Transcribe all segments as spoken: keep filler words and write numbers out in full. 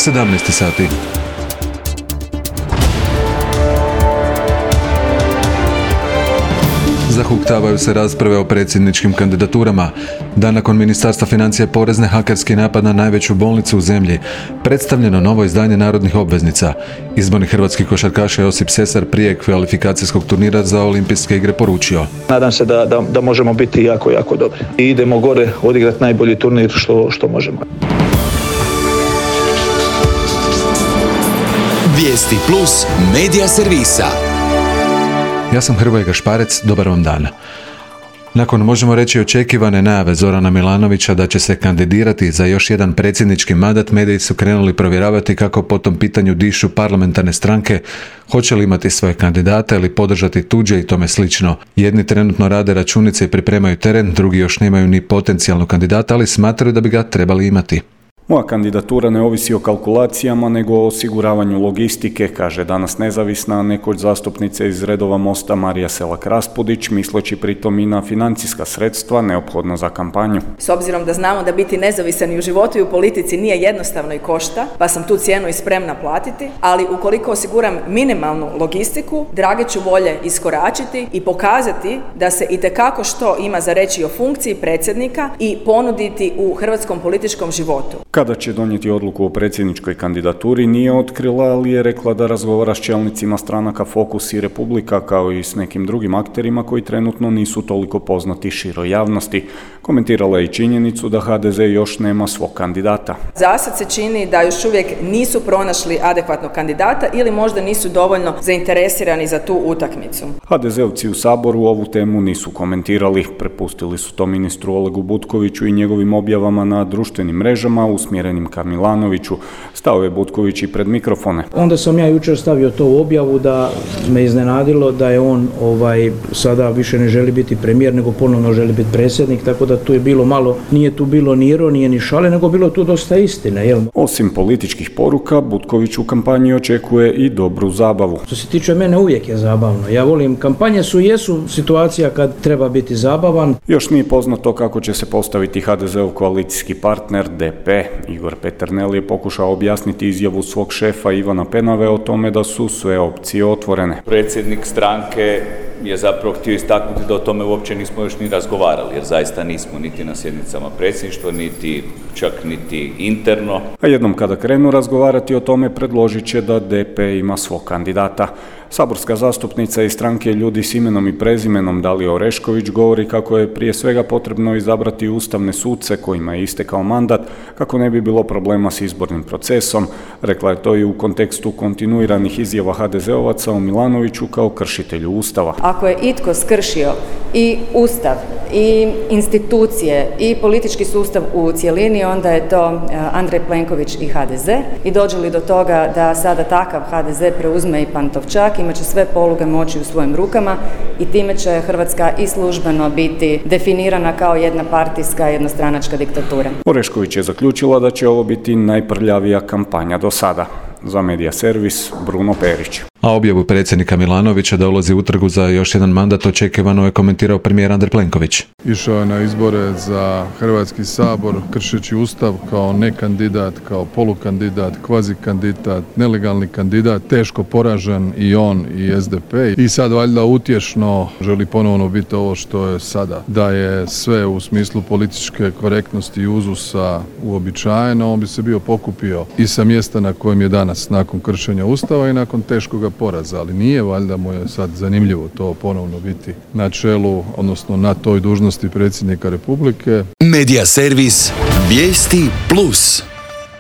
sedamnaest sati. Zahuktavaju se rasprave o predsjedničkim kandidaturama. Dan nakon Ministarstva financija i porezne, hakerski napad na najveću bolnicu u zemlji. Predstavljeno novo izdanje narodnih obveznica. Izborni hrvatski košarkaša Josip Sesar prije kvalifikacijskog turnira za olimpijske igre poručio: Nadam se da, da, da možemo biti jako, jako dobri. I idemo gore odigrati najbolji turnir što, što možemo. Vijesti plus medija servisa. Ja sam Hrvoje Gašparec, dobar vam dan. Nakon, možemo reći, očekivane najave Zorana Milanovića da će se kandidirati za još jedan predsjednički mandat, mediji su krenuli provjeravati kako po tom pitanju dišu parlamentarne stranke, hoće li imati svoje kandidate ili podržati tuđe i tome slično. Jedni trenutno rade računice i pripremaju teren, drugi još nemaju ni potencijalnog kandidata, ali smatraju da bi ga trebali imati. Moja kandidatura ne ovisi o kalkulacijama, nego o osiguravanju logistike, kaže danas nezavisna nekoć zastupnica iz redova Mosta Marija Selak-Raspudić, misleći pritom i na financijska sredstva neophodna za kampanju. S obzirom da znamo da biti nezavisan i u životu i u politici nije jednostavno i košta, pa sam tu cijenu i spremna platiti, ali ukoliko osiguram minimalnu logistiku, drage ću volje iskoračiti i pokazati da se itekako što ima za reći o funkciji predsjednika i ponuditi u hrvatskom političkom životu. Kada će donijeti odluku o predsjedničkoj kandidaturi nije otkrila, ali je rekla da razgovara s čelnicima stranaka Fokus i Republika, kao i s nekim drugim akterima koji trenutno nisu toliko poznati široj javnosti. Komentirala je i činjenicu da ha de ze još nema svog kandidata. Zasad se čini da još uvijek nisu pronašli adekvatnog kandidata ili možda nisu dovoljno zainteresirani za tu utakmicu. ha de zeovci u Saboru ovu temu nisu komentirali. Prepustili su to ministru Olegu Butkoviću i njegovim objavama na društvenim mrežama usmjerenim ka Milanoviću. Stao je Butković i pred mikrofone. Onda sam ja jučer stavio to u objavu da me iznenadilo da je on ovaj sada više ne želi biti premijer, nego ponovno želi biti predsjednik, tako da tu je bilo malo, nije tu bilo ni ironije ni šale, nego bilo tu dosta istine. Jel? Osim političkih poruka, Butković u kampanji očekuje i dobru zabavu. Što se tiče mene, uvijek je zabavno. Ja volim, kampanje su jesu situacija kad treba biti zabavan. Još nije poznato kako će se postaviti ha de zeov koalicijski partner de pe. Igor Peternel je pokušao objasniti izjavu svog šefa Ivana Penave o tome da su sve opcije otvorene. Predsjednik stranke je zapravo htio istaknuti da o tome uopće nismo još ni razgovarali, jer zaista nismo niti na sjednicama predsjedništva, niti čak niti interno. A jednom kada krenu razgovarati o tome, predložit će da de pe ima svog kandidata. Saborska zastupnica iz stranke Ljudi s imenom i prezimenom Dalija Orešković govori kako je prije svega potrebno izabrati ustavne suce kojima je istekao mandat, kako ne bi bilo problema s izbornim procesom. Rekla je to i u kontekstu kontinuiranih izjava ha de zeovaca o Milanoviću kao kršitelju Ustava. Ako je itko skršio i Ustav, i institucije, i politički sustav u cjelini, onda je to Andrej Plenković i ha de ze. I dođe li do toga da sada takav ha de ze preuzme i Pantovčak, imat će sve poluge moći u svojim rukama i time će Hrvatska i službeno biti definirana kao jedna partijska, jednostranačka diktatura. Orešković je zaključila da će ovo biti najprljavija kampanja do sada. Za Medija servis, Bruno Perić. A objavu predsjednika Milanovića da ulazi u trgu za još jedan mandat očekivano je komentirao premijer Andrej Plenković. Išao je na izbore za Hrvatski sabor kršeći Ustav kao nekandidat, kao polukandidat, kvazi kandidat, nelegalni kandidat, teško poražen i on i es de pe. I sad valjda utješno želi ponovno biti ovo što je sada. Da je sve u smislu političke korektnosti i uzusa uobičajeno, on bi se bio pokupio i sa mjesta na kojem je danas nakon kršenja Ustava i nakon teškoga poraza, ali nije valjda mu je sad zanimljivo to ponovno biti na čelu, odnosno na toj dužnosti predsjednika Republike. Medija servis Vijesti plus.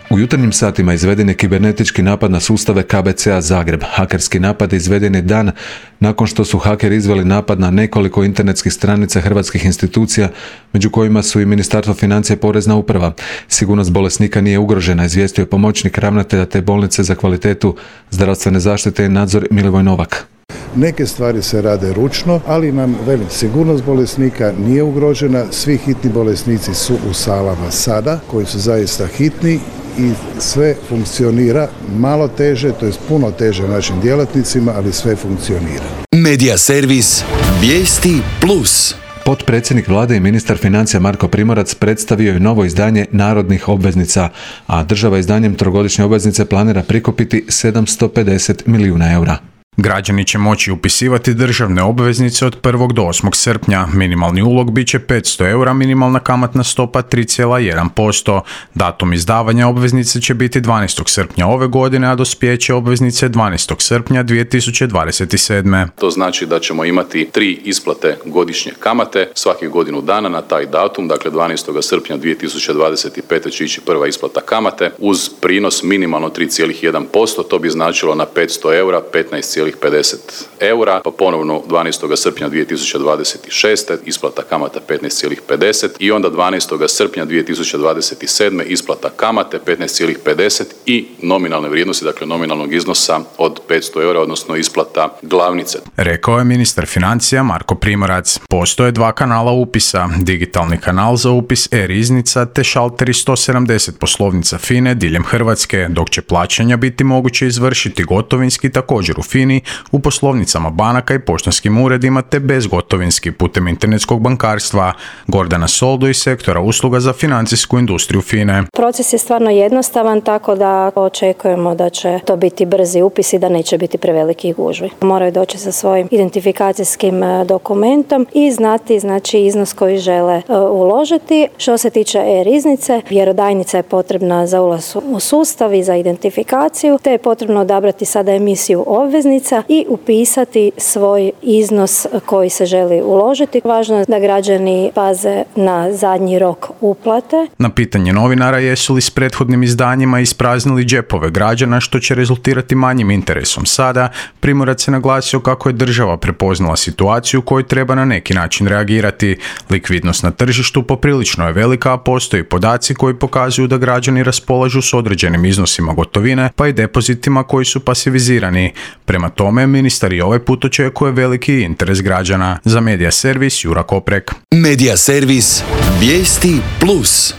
U jutarnjim satima izveden je kibernetički napad na sustave ka be ce a Zagreb. Hakerski napad izveden je dan nakon što su hakeri izveli napad na nekoliko internetskih stranica hrvatskih institucija, među kojima su i Ministarstvo financija i Porezna uprava. Sigurnost bolesnika nije ugrožena, izvijestio je pomoćnik ravnatelja te bolnice za kvalitetu zdravstvene zaštite i nadzor Milivoj Novak. Neke stvari se rade ručno, ali nam, velim, sigurnost bolesnika nije ugrožena. Svi hitni bolesnici su u salama sada, koji su zaista hitni i sve funkcionira malo teže, to je puno teže našim djelatnicima, ali sve funkcionira. Medija servis Vijesti plus. Potpredsjednik vlade i ministar financija Marko Primorac predstavio je novo izdanje narodnih obveznica, a država izdanjem trogodišnje obveznice planira prikupiti sedamsto pedeset milijuna eura. Građani će moći upisivati državne obveznice od prvog do osmog srpnja. Minimalni ulog bit će petsto eura, minimalna kamatna stopa tri zarez jedan posto. Datum izdavanja obveznice će biti dvanaestog srpnja ove godine, a dospijeće obveznice dvanaestog srpnja dvije tisuće dvadeset sedme. To znači da ćemo imati tri isplate godišnje kamate svakih godinu dana na taj datum, dakle dvanaestog srpnja dvije tisuće dvadeset pete će ići prva isplata kamate uz prinos minimalno tri zarez jedan posto, to bi značilo na petsto eura petnaest zarez pedeset eura, pa ponovno dvanaestog srpnja dvije tisuće dvadeset šeste isplata kamata petnaest zarez pedeset i onda dvanaestog srpnja dvije tisuće dvadeset sedme isplata kamate petnaest zarez pedeset i nominalne vrijednosti, dakle nominalnog iznosa od petsto eura, odnosno isplata glavnice. Rekao je ministar financija Marko Primorac. Postoje dva kanala upisa, digitalni kanal za upis e-riznica te šalteri sto sedamdeset poslovnica FINE diljem Hrvatske, dok će plaćanja biti moguće izvršiti gotovinski također u FINI, u poslovnicama banaka i poštanskim uredima te bezgotovinski putem internetskog bankarstva. Gordana Soldo iz sektora usluga za financijsku industriju FINE. Proces je stvarno jednostavan, tako da očekujemo da će to biti brzi upis i da neće biti prevelikih gužvi. Moraju doći sa svojim identifikacijskim dokumentom i znati znači iznos koji žele uložiti. Što se tiče e-riznice, vjerodajnica je potrebna za ulaz u sustav i za identifikaciju, te je potrebno odabrati sada emisiju obveznica i upisati svoj iznos koji se želi uložiti. Važno je da građani paze na zadnji rok uplate. Na pitanje novinara jesu li s prethodnim izdanjima ispraznili džepove građana, što će rezultirati manjim interesom sada, Primorac je naglasio kako je država prepoznala situaciju u kojoj treba na neki način reagirati. Likvidnost na tržištu poprilično je velika, a postoji podaci koji pokazuju da građani raspolažu s određenim iznosima gotovine, pa i depozitima koji su pasivizirani. Prema tome, ministar i ovaj put očekuje veliki interes građana. Za Medija servis Jura Koprek. Medija servis Vijesti plus.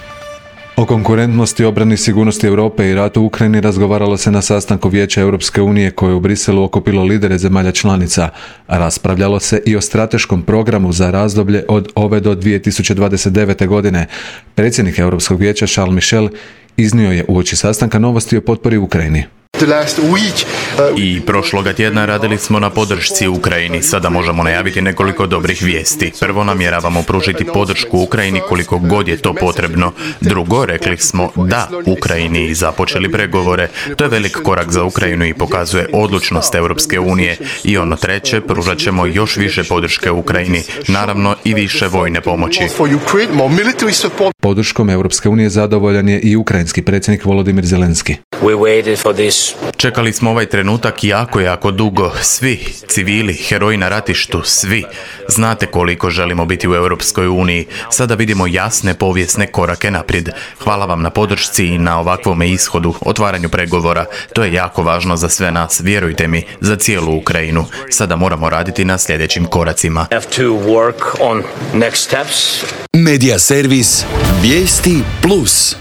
O konkurentnosti, obrani, sigurnosti Europe i ratu u Ukrajini razgovaralo se na sastanku Vijeća Europske unije koje je u Briselu okupilo lidere zemalja članica. Raspravljalo se i o strateškom programu za razdoblje od ove do dvije tisuće dvadeset devete. godine. Predsjednik Europskog vijeća Charles Michel iznio je uoči sastanka novosti o potpori Ukrajini. I prošloga tjedna radili smo na podršci Ukrajini. Sada možemo najaviti nekoliko dobrih vijesti. Prvo, namjeravamo pružiti podršku Ukrajini koliko god je to potrebno. Drugo, rekli smo da Ukrajini i započeli pregovore. To je velik korak za Ukrajinu i pokazuje odlučnost Europske unije. I ono treće, pružat ćemo još više podrške Ukrajini. Naravno i više vojne pomoći. Podrškom Europske unije zadovoljan je i ukrajinski predsjednik Volodimir Zelenski. Čekali smo ovaj trenutak jako, jako dugo. Svi, civili, heroji na ratištu, svi. Znate koliko želimo biti u Europskoj uniji. Sada vidimo jasne povijesne korake naprijed. Hvala vam na podršci i na ovakvome ishodu, otvaranju pregovora. To je jako važno za sve nas, vjerujte mi, za cijelu Ukrajinu. Sada moramo raditi na sljedećim koracima. Medija servis Vijesti plus.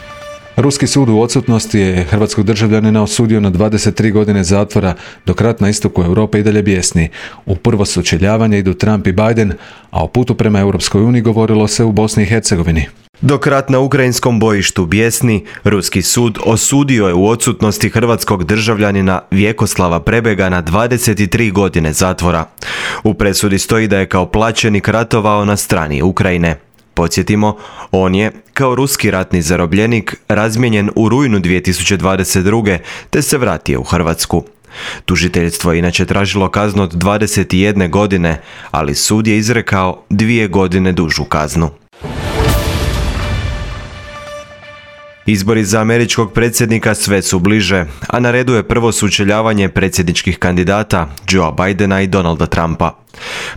Ruski sud u odsutnosti je hrvatskog državljanina osudio na dvadeset tri godine zatvora, dok rat na istoku Europe i dalje bijesni. U prvo sučeljavanje idu Trump i Biden, a o putu prema Europskoj uniji govorilo se u Bosni i Hercegovini. Dok rat na ukrajinskom bojištu bijesni, ruski sud osudio je u odsutnosti hrvatskog državljanina Vjekoslava Prebega na dvadeset tri godine zatvora. U presudi stoji da je kao plaćenik ratovao na strani Ukrajine. Podsjetimo, on je, kao ruski ratni zarobljenik, razmijenjen u rujnu dvije tisuće dvadeset druge. te se vratio u Hrvatsku. Tužiteljstvo je inače tražilo kaznu od dvadeset jedne godine, ali sud je izrekao dvije godine dužu kaznu. Izbori za američkog predsjednika sve su bliže, a na redu je prvo sučeljavanje predsjedničkih kandidata Joea Bidena i Donalda Trumpa.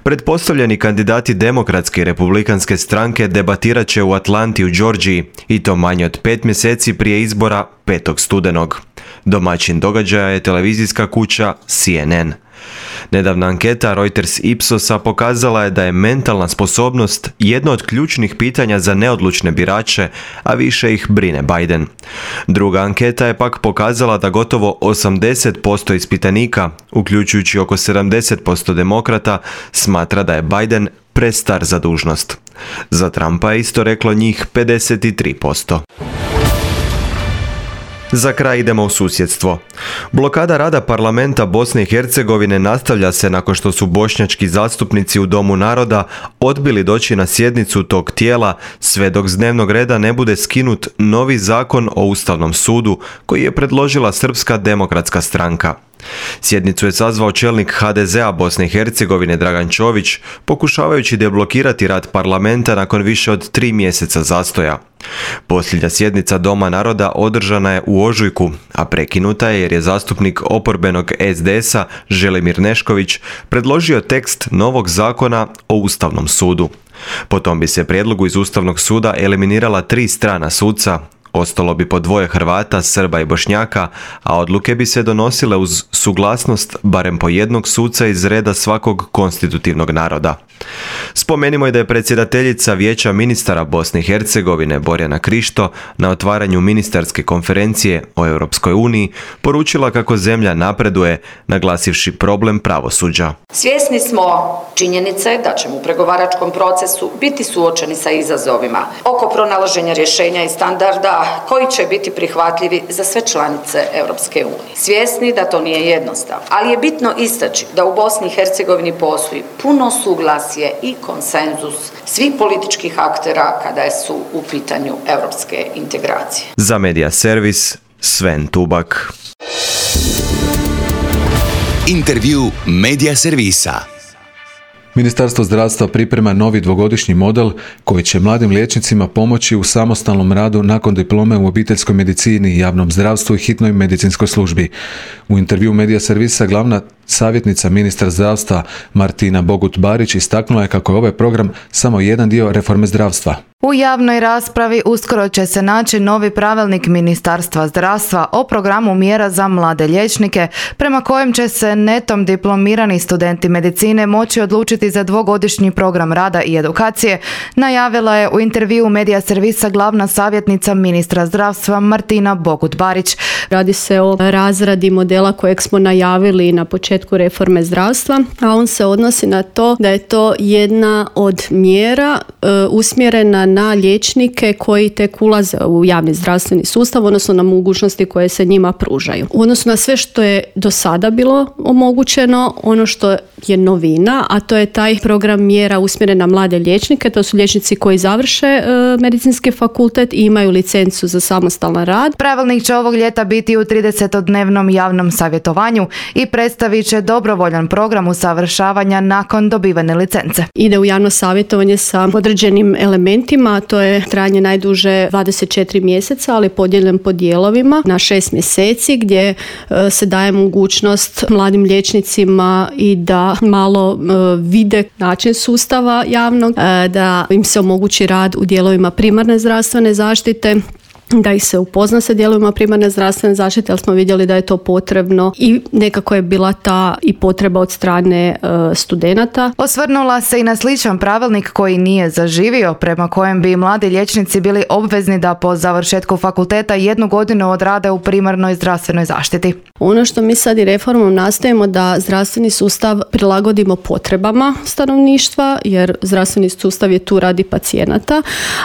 Pretpostavljeni kandidati demokratske i republikanske stranke debatirat će u Atlanti u Georgiji i to manje od pet mjeseci prije izbora petog studenog. Domaćin događaja je televizijska kuća C N N. Nedavna anketa Reuters Ipsosa pokazala je da je mentalna sposobnost jedno od ključnih pitanja za neodlučne birače, a više ih brine Biden. Druga anketa je pak pokazala da gotovo osamdeset posto ispitanika, uključujući oko sedamdeset posto demokrata, smatra da je Biden prestar za dužnost. Za Trumpa je isto reklo njih pedeset tri posto. Za kraj idemo u susjedstvo. Blokada rada parlamenta Bosne i Hercegovine nastavlja se nakon što su bošnjački zastupnici u Domu naroda odbili doći na sjednicu tog tijela sve dok s dnevnog reda ne bude skinut novi zakon o Ustavnom sudu koji je predložila Srpska demokratska stranka. Sjednicu je sazvao čelnik ha de zea Bosne i Hercegovine Dragan Čović, pokušavajući deblokirati rad parlamenta nakon više od tri mjeseca zastoja. Posljednja sjednica Doma naroda održana je u ožujku, a prekinuta je jer je zastupnik oporbenog es de esa Želimir Nešković predložio tekst novog zakona o Ustavnom sudu. Potom bi se prijedlogu iz Ustavnog suda eliminirala tri strana suca, ostalo bi po dvoje Hrvata, Srba i Bošnjaka, a odluke bi se donosile uz suglasnost barem po jednog suca iz reda svakog konstitutivnog naroda. Spomenimo i da je predsjedateljica Vijeća ministara Bosne i Hercegovine Borjana Krišto na otvaranju ministarske konferencije o Europskoj uniji poručila kako zemlja napreduje, naglasivši problem pravosuđa. Svjesni smo činjenice da ćemo u pregovaračkom procesu biti suočeni sa izazovima oko pronalaženja rješenja i standarda koji će biti prihvatljivi za sve članice Europske unije. Svjesni da to nije jednostavno, ali je bitno istaći da u Bosni i Hercegovini postoji puno suglasje i konsenzus svih političkih aktera kada su u pitanju europske integracije. Za Medija Servis, Sven Tubak. Intervju Medija Servisa. Ministarstvo zdravstva priprema novi dvogodišnji model koji će mladim liječnicima pomoći u samostalnom radu nakon diplome u obiteljskoj medicini, javnom zdravstvu i hitnoj medicinskoj službi. U intervju Medija Servisa glavna savjetnica ministra zdravstva Martina Bogut-Barić istaknula je kako je ovaj program samo jedan dio reforme zdravstva. U javnoj raspravi uskoro će se naći novi pravilnik Ministarstva zdravstva o programu mjera za mlade liječnike, prema kojem će se netom diplomirani studenti medicine moći odlučiti za dvogodišnji program rada i edukacije, najavila je u intervju Medija Servisa glavna savjetnica ministra zdravstva Martina Bogut-Barić. Radi se o razradi modela kojeg smo najavili na početku reforme zdravstva, a on se odnosi na to da je to jedna od mjera e, usmjerena na liječnike koji tek ulaze u javni zdravstveni sustav, odnosno na mogućnosti koje se njima pružaju. U odnosu na sve što je do sada bilo omogućeno, ono što je novina, a to je taj program mjera usmjeren na mlade liječnike, to su liječnici koji završe e, medicinski fakultet i imaju licencu za samostalan rad. Pravilnik će ovog ljeta biti u tridesetodnevnom javnom savjetovanju i predstavit će dobrovoljan program usavršavanja nakon dobivene licence. Ide u javno savjetovanje sa određenim elementima, a to je trajanje najduže dvadeset četiri mjeseca, ali podijeljen po dijelovima na šest mjeseci, gdje e, se daje mogućnost mladim liječnicima i da malo e, vide način sustava javnog, e, da im se omogući rad u dijelovima primarne zdravstvene zaštite, da ih se upozna sa dijelovima primarne zdravstvene zaštite, ali smo vidjeli da je to potrebno i nekako je bila ta i potreba od strane e, studenata. Osvrnula se i na sličan pravilnik koji nije zaživio, prema kojem bi mladi liječnici bili obvezni da po završetku fakulteta jednu godinu odrade u primarnoj zdravstvenoj zaštiti. Ono što mi sad i reformom nastojimo da zdravstveni sustav prilagodimo potrebama stanovništva, jer zdravstveni sustav je tu radi pacijenata,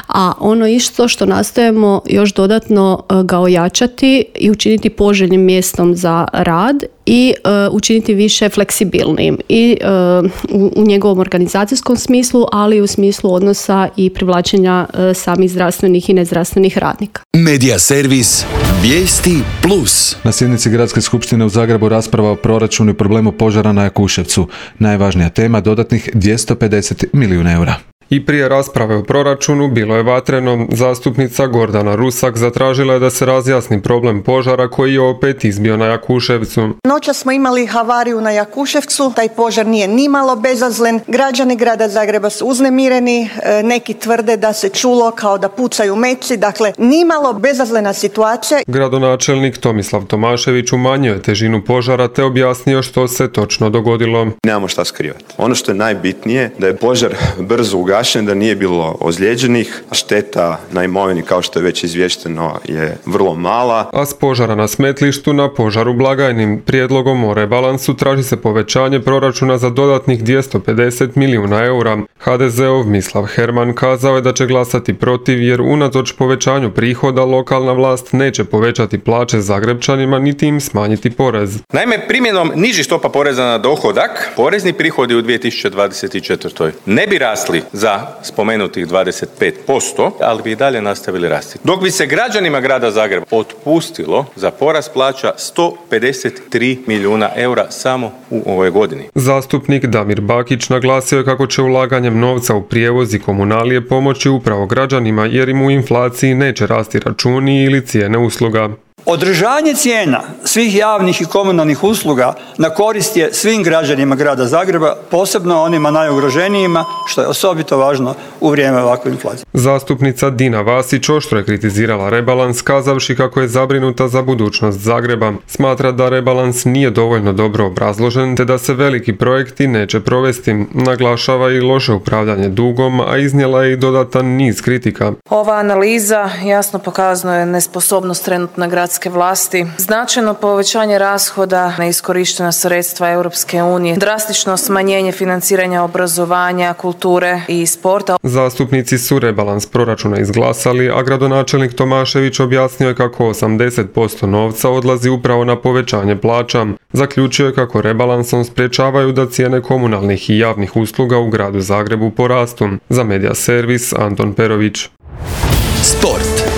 a ono isto što nastojimo još dodatno ga ojačati i učiniti poželjnim mjestom za rad i uh, učiniti više fleksibilnim i uh, u, u njegovom organizacijskom smislu, ali i u smislu odnosa i privlačenja uh, samih zdravstvenih i nezdravstvenih radnika. Medija servis Vijesti plus. Na sjednici Gradske skupštine u Zagrebu rasprava o proračunu i problemu požara na Jakuševcu. Najvažnija tema dodatnih dvjesto pedeset milijuna eura. I prije rasprave o proračunu bilo je vatreno. Zastupnica Gordana Rusak zatražila je da se razjasni problem požara koji je opet izbio na Jakuševcu. Noća smo imali havariju na Jakuševcu, taj požar nije nimalo bezazlen. Građani grada Zagreba su uznemireni, neki tvrde da se čulo kao da pucaju meci, dakle nimalo bezazlena situacija. Gradonačelnik Tomislav Tomašević umanjio je težinu požara te objasnio što se točno dogodilo. Nemamo šta skrivati. Ono što je najbitnije da je požar brzo ugašen, da nije bilo ozlijeđenih, šteta na imovini kao što je već izvješteno je vrlo mala. A s požara na smetlištu na požaru blagajnim prijedlogom o rebalansu traži se povećanje proračuna za dodatnih dvjesto pedeset milijuna eura. ha de zeov Mislav Herman kazao je da će glasati protiv jer unatoč povećanju prihoda lokalna vlast neće povećati plaće Zagrebčanima niti im smanjiti porez. Naime, primjenom nižih stopa poreza na dohodak, porezni prihodi u dvije tisuće dvadeset četvrtoj ne bi rasli za spomenutih dvadeset pet posto, ali bi i dalje nastavili rasti. Dok bi se građanima grada Zagreba otpustilo za porast plaća sto pedeset tri milijuna eura samo u ovoj godini. Zastupnik Damir Bakić naglasio je kako će ulaganjem novca u prijevoz i komunalije pomoći upravo građanima jer im u inflaciji neće rasti računi ili cijene usluga. Održanje cijena svih javnih i komunalnih usluga na korist je svim građanima grada Zagreba, posebno onima najugroženijima, što je osobito važno u vrijeme ovakve inflacije. Zastupnica Dina Vasić oštro je kritizirala rebalans, kazavši kako je zabrinuta za budućnost Zagreba. Smatra da rebalans nije dovoljno dobro obrazložen te da se veliki projekti neće provesti. Naglašava i loše upravljanje dugom, a iznijela je i dodatan niz kritika. Ova analiza jasno pokazuje nesposobnost trenutna gradske vlasti, značajno povećanje rashoda, neiskorištena sredstva Europske unije, drastično smanjenje financiranja obrazovanja, kulture i sporta. Zastupnici su rebalans proračuna izglasali, a gradonačelnik Tomašević objasnio je kako osamdeset posto novca odlazi upravo na povećanje plaća. Zaključio je kako rebalansom sprječavaju da cijene komunalnih i javnih usluga u gradu Zagrebu porastu. Za Media Servis Anton Perović. Sport.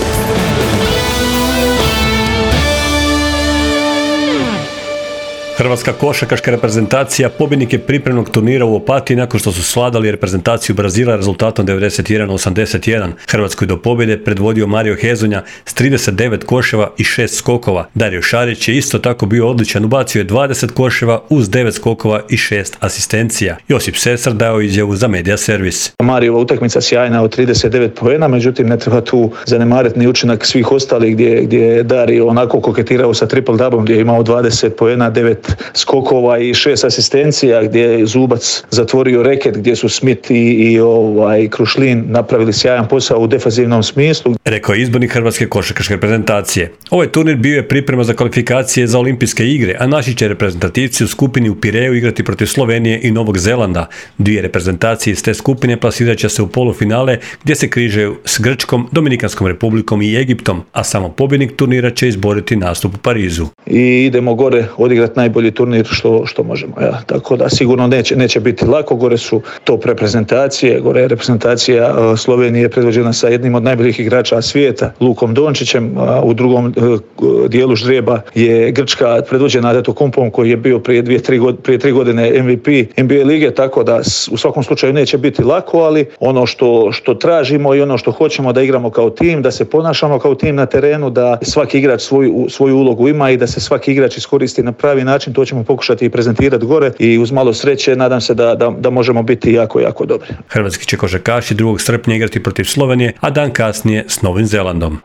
Hrvatska košarkaška reprezentacija pobjednik je pripremnog turnira u Opatiji nakon što su svladali reprezentaciju Brazila rezultatom devedeset jedan osamdeset jedan. Hrvatskoj do pobjede predvodio Mario Hezonja s trideset devet koševa i šest skokova. Dario Šarić je isto tako bio odličan, ubacio je dvadeset koševa uz devet skokova i šest asistencija. Josip Sesar dao izjavu za Media Servis. Marijeva utakmica sjajna od trideset devet poena, međutim ne treba tu zanemariti ni učinak svih ostalih gdje, gdje je Dario onako koketirao sa triple doublom, gdje je imao dvadeset poena, devet skokova i šest asistencija, gdje je Zubac zatvorio reket, gdje su Smith i, i ovaj, Krušlin napravili sjajan posao u defazivnom smislu. Rekao je izbornik Hrvatske košarkaške reprezentacije. Ovaj turnir bio je priprema za kvalifikacije za olimpijske igre, a naši će reprezentativci u skupini u Pireju igrati protiv Slovenije i Novog Zelanda. Dvije reprezentacije iz te skupine plasirat će se u polufinale gdje se križaju s Grčkom, Dominikanskom republikom i Egiptom, a samo pobjednik turnira će izboriti nastup u Parizu. I idemo gore odigrati najbolji turnir što, što možemo. Ja. Tako da sigurno neće, neće biti lako. Gore su top reprezentacije. Gore je reprezentacija uh, Slovenije predvođena sa jednim od najboljih igrača svijeta, Lukom Dončićem. Uh, u drugom uh, dijelu ždrijeba je Grčka predvođena Antetokounmpom koji je bio prije, dvije, tri, god, prije tri godine M V P N B A lige, tako da u svakom slučaju neće biti lako, ali ono što, što tražimo i ono što hoćemo da igramo kao tim, da se ponašamo kao tim na terenu, da svaki igrač svoju, svoju ulogu ima i da se svaki igrač iskoristi na pravi način, to ćemo pokušati i prezentirati gore i uz malo sreće nadam se da, da, da možemo biti jako, jako dobri. Hrvatski će košarkaši drugog srpnja igrati protiv Slovenije, a dan kasnije s Novim Zelandom.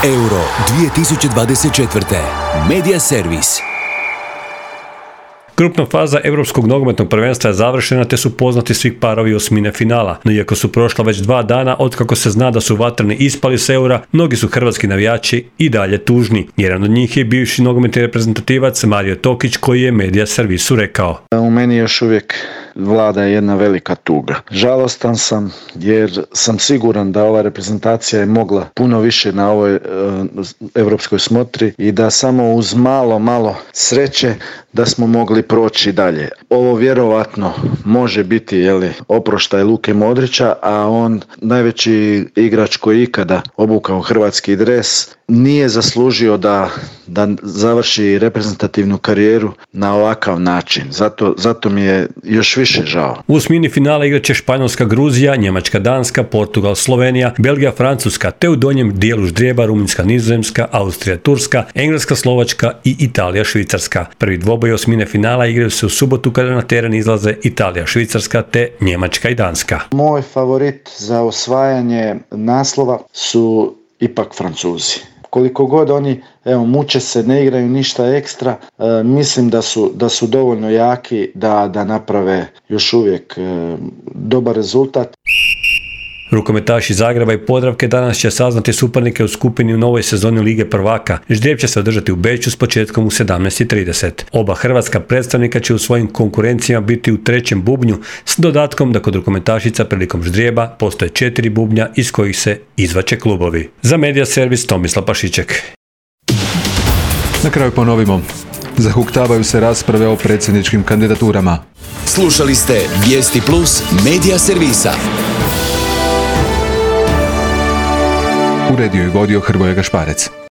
Euro dvije tisuće dvadeset četvrte. Media Servis. Grupna faza Europskog nogometnog prvenstva je završena te su poznati svih parovi osmine finala. No iako su prošla već dva dana otkako se zna da su vatreni ispali s Eura, mnogi su hrvatski navijači i dalje tužni. Jedan od njih je bivši nogometni reprezentativac Mario Tokić koji je Media Servisu rekao. U meni još uvijek vlada jedna velika tuga. Žalostan sam jer sam siguran da ova reprezentacija je mogla puno više na ovoj e, europskoj smotri i da samo uz malo, malo sreće da smo mogli proći dalje. Ovo vjerovatno može biti jeli, oproštaj Luke Modrića, a on najveći igrač koji ikada obukao hrvatski dres nije zaslužio da, da završi reprezentativnu karijeru na ovakav način. Zato, zato mi je još više žao. U osmini finala igraće Španjolska, Gruzija, Njemačka, Danska, Portugal, Slovenija, Belgija, Francuska, te u donjem dijelu ždrijeba Rumunjska, Nizozemska, Austrija, Turska, Engleska, Slovačka i Italija, Švicarska. Prvi dvoboj osmine finala igraju se u subotu kada na teren izlaze Italija, Švicarska te Njemačka i Danska. Moj favorit za osvajanje naslova su ipak Francuzi. Koliko god oni, evo, muče se, ne igraju ništa ekstra, e, mislim da su, da su dovoljno jaki da, da naprave još uvijek e, dobar rezultat. Rukometaši Zagreba i Podravke danas će saznati suparnike u skupini u novoj sezoni Lige prvaka. Ždrijeb će se održati u Beču s početkom u sedamnaest i trideset. Oba hrvatska predstavnika će u svojim konkurencijama biti u trećem bubnju s dodatkom da kod rukometašica prilikom ždrijeba postoje četiri bubnja iz kojih se izvače klubovi. Za Medija Servis Tomislav Pašiček. Na kraju ponovimo. Zahuktavaju se rasprave o predsjedničkim kandidaturama. Slušali ste Vijesti Plus Medija Servisa. Uredio i vodio Hrvoje Gašparec.